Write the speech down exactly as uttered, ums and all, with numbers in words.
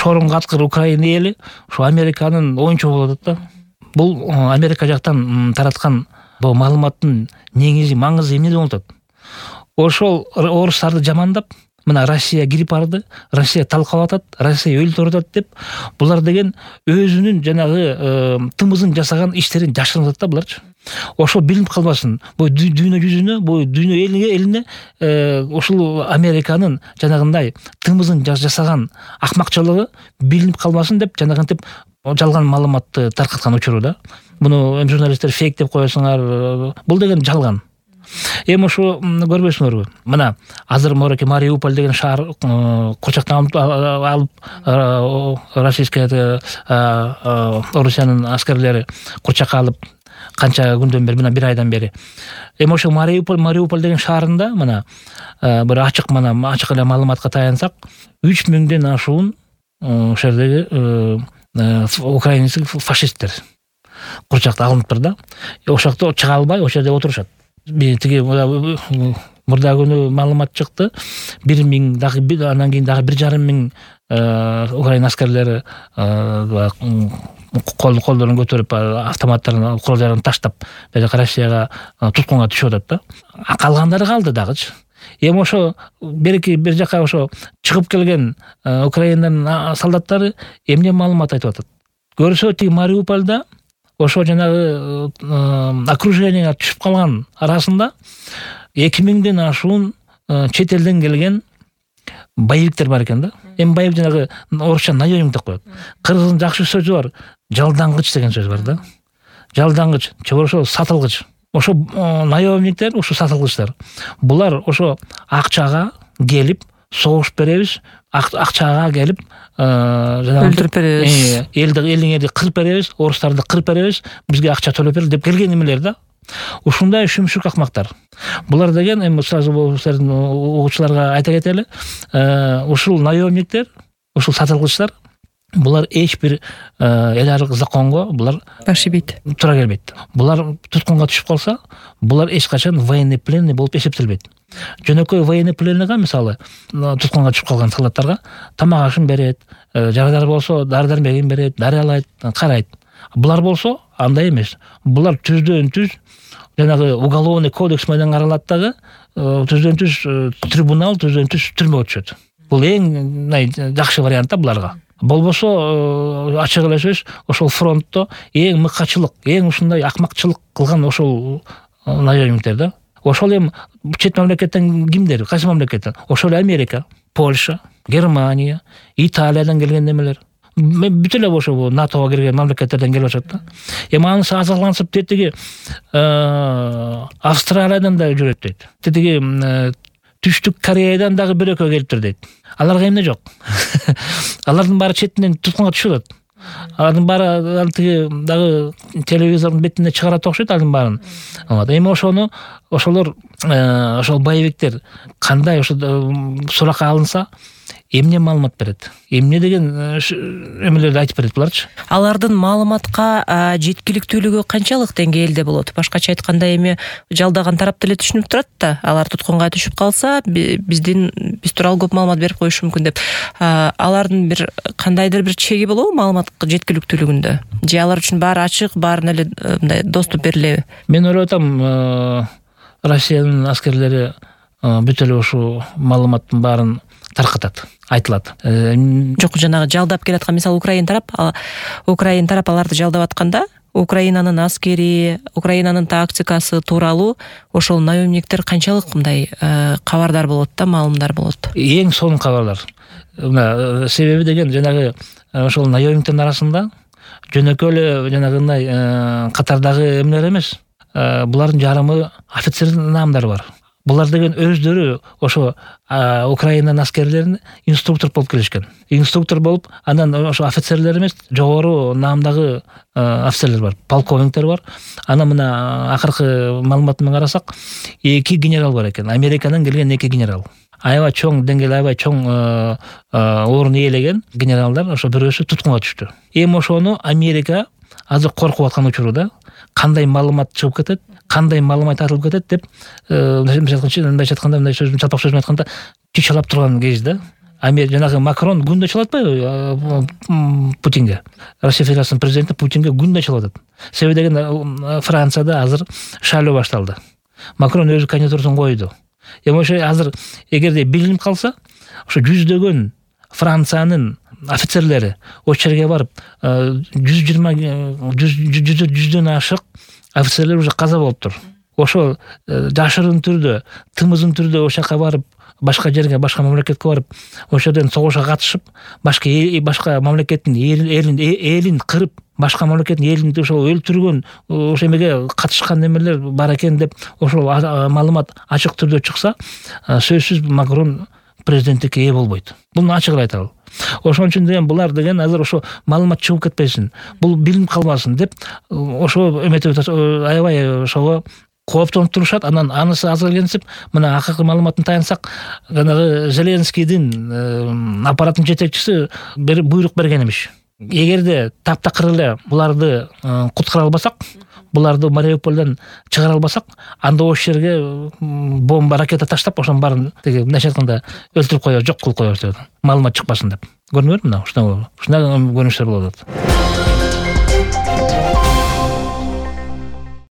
шорунга аткыр Украина эли ушу Американын оюнчугу болуп атат да. Бул Америка жактан тараткан бул маалыматтын негизи маңызы эмнеде болуп атат? Ошол орустарды жамандап, мына Россия кирип барды, Россия талкалап атат, Россия өлтүрүп атат деп, булар деген өзүнүн жанагы тымызын жасаган иштерин жашырып атат да буларчы. Ошол билинип калбасын. Бул дүйнө жүзүнө, бул дүйнө элине элине ушул Американын жанагындай тымызын жасаган акмакчылыгы билинип калбасын деп жанагынтип жалган маалыматты таркаткан учуру да. Муну эми журналисттер фейк деп коесуңар. Бул деген жалган. Эми ошо көрбөйсүңөрбү? Мына азыр мореке Мариуполь деген шаар курчактан алып российская Орусиянын аскерлери курчакка алып канча күндөн бери, мына бир айдан бери. Эми ошо Мариуполь, Мариуполь деген шаарында мына бир ачык мына ачык эле маалыматка таянсак, үч миңден ашуун ошол жердеги украинский фашисттер курчакта алыныптыр да. Ошол жакта чыга албай, ошол жерде отурушат. Тиги мурда күнү маалымат чыкты. бир миң дагы андан кийин дагы бир жарым миң Украина аскерлери кол колдорун көтөрүп, автоматтарын, куралдарын таштап, Россияга туткунга түшүп атат да. Калгандары калды дагычы. Эми ошо берки бир жака ошо чыгып келген Украинанын солдаттары эмне маалымат айтып атат? Көрсө тиги Мариупольда ошо жанагы окруженияга түшүп калган арасында эки миңден ашуун чет элден келген боевиктер бар экен да. Эми боевик жанагы орусча наемник деп коет. Кыргыздын жакшы сөзү бар, жалдангыч деген сөз бар да. Жалдангыч, же ошо сатылгыч. Ошо наемниктер, ошо сатылгычтар. Булар ошо акчага келип, согуш беребиз, акчага келип, өлтүрүп беребиз. Элди элиңерди кырып беребиз, орустарды кырып беребиз, бизге акча төлөп бер деп келген эмелер да. Ушундай шүмшүк акмактар. Булар деген эми сразу силердин угуучуларга айта кетели, ушул наемниктер, ушул сатылгычтар, булар эч бир эл аркы законго булар башибейт. Тура келбейт. Булар туткунга түшүп калса, булар эч качан военный пленный болуп эсептелбейт. Жөнөкөй военный пленныйга, мисалы, туткунга түшүп калган солдаттарга тамак ашын берет, жарадар болсо дары-дармегин берет, дарыялайт, карайт. Булар болсо андай эмес. Булар түздөн түз жанагы уголовный кодекс менен каралат дагы, түздөн түз трибунал, түздөн түз түрмөгө түшөт. Бул эң жакшы вариант да буларга. Болбосо ачык эле сөз, ошол фронтто эң мыкачылык, эң ушундай акмакчылык кылган ошол наемниктер да. Ошол эми чет мамлекеттен кимдер? Кайсы мамлекеттен? Ошол Америка, Польша, Германия, Италиядан келген немелер. Бүт эле ошо НАТОга кирген мамлекеттерден келип атат да. Эми анысы азырлансып тетиги Австралиядан да жүрөт дейт. Тетиги Түштүк Кореядан дагы бир экөө келиптир дейт. Аларга эмне жок? Алардын баары четинен туткунга түшүп атат. Алардын баары тиги дагы телевизордун бетине чыгарат окшойт алардын баарын. Эми ошону ошолор ошол боевиктер кандай ошо суракка алынса, эмне маалымат берет? Эмне деген эмелерди айтып берет буларчы? Алардын маалыматка жеткиликтүүлүгү канчалык деңгээлде болот? Башкача айтканда эми жалдаган тарап деле түшүнүп турат да. Алар туткунга түшүп калса, биздин биз тууралуу көп маалымат берип коюшу мүмкүн деп. Алардын бир кандайдыр бир чеги болобу маалыматка жеткиликтүүлүгүндө? Же алар үчүн баары ачык, баарына эле мындай доступ берилеби? Мен ойлоп атам, Россиянын аскерлери бүт эле ушул маалыматтын баарын таркатат, айтылат. Жок, жанагы жалдап келаткан, мисалы Украина тарап, Украина тарап аларды жалдап атканда, Украинанын аскери, Украинанын тактикасы тууралуу ошол наемниктер канчалык мындай кабардар болот да, маалымдар болот? Эң сонун кабардар. Мына себеби деген жанагы ошол наемниктердин арасында жөнөкөй эле жанагындай катардагы эмнелер эмес. Булардын жарымы офицер наамдары бар. Булар деген өздөрү ошо Украинанын аскерлерин инструктор болуп келишкен. Инструктор болуп, андан ошо офицерлер эмес, жогору наамдагы офицерлер бар, полковниктер бар. Ана мына акыркы маалыматты карасак, эки генерал бар экен. Америкадан келген эки генерал. Аябай чоң деңгээл, аябай чоң орун ээлеген генералдар ошо бирөөсү туткунга түштү. Эми ошону Америка азыр коркуп аткан учурда кандай маалымат чыгып кетет, кандай маалымат айтылып кетет деп, мындай айтканда, мындай сөздүн чалпак сөзүн айтканда, чычалап турган кез да. Америка жанагы Макрон күндө чалып атпайбы Путинге? Россия Федерациясынын президенти Путинге күндө чалып атат. Себеби деген Францияда азыр шайлоо башталды. Макрон өзү кандидатурасын койду. Эми ошо азыр эгерде билинип калса, ошо жүздөгөн Франциянын офицерлери ошол жерге барып, жүз жыйырма жүздөн ашык офицерлер уже каза болуптур. Ошо жашырын түрдө, тымызын түрдө ошол жака барып, башка жерге, башка мамлекетке барып, ошол жерден согушка катышып, башка башка мамлекеттин элин элин кырып, башка мамлекеттин элин ошо өлтүргөн, ошо эмеге катышкан немелер бар экен деп ошол маалымат ачык түрдө чыкса, сөзсүз Макрон президенттикке ээ болбойт. Буну ачык айталы. Ошон үчүн деген булар деген азыр ошо маалымат чыгып кетпесин, бул билинип калбасын деп ошо эметип аябай ошого кооптонуп турушат. Анан анысы азырленсип, мына акыркы маалыматын таянсак, жанагы Зеленскийдин аппараттын жетекчиси буйрук берген эмиш. Эгерде таптакыр эле буларды куткара албасак, буларды Мариуполдон чыгара албасак, анда ошол жерге бомба, ракета таштап, ошонун баарын теге мындайча айтканда өлтүрүп коебуз, жок кылып коебуз деп. Маалымат чыкпасын деп. Көрдүңөрбү мына ушундай ушундай көрүнүштөр болуп атат.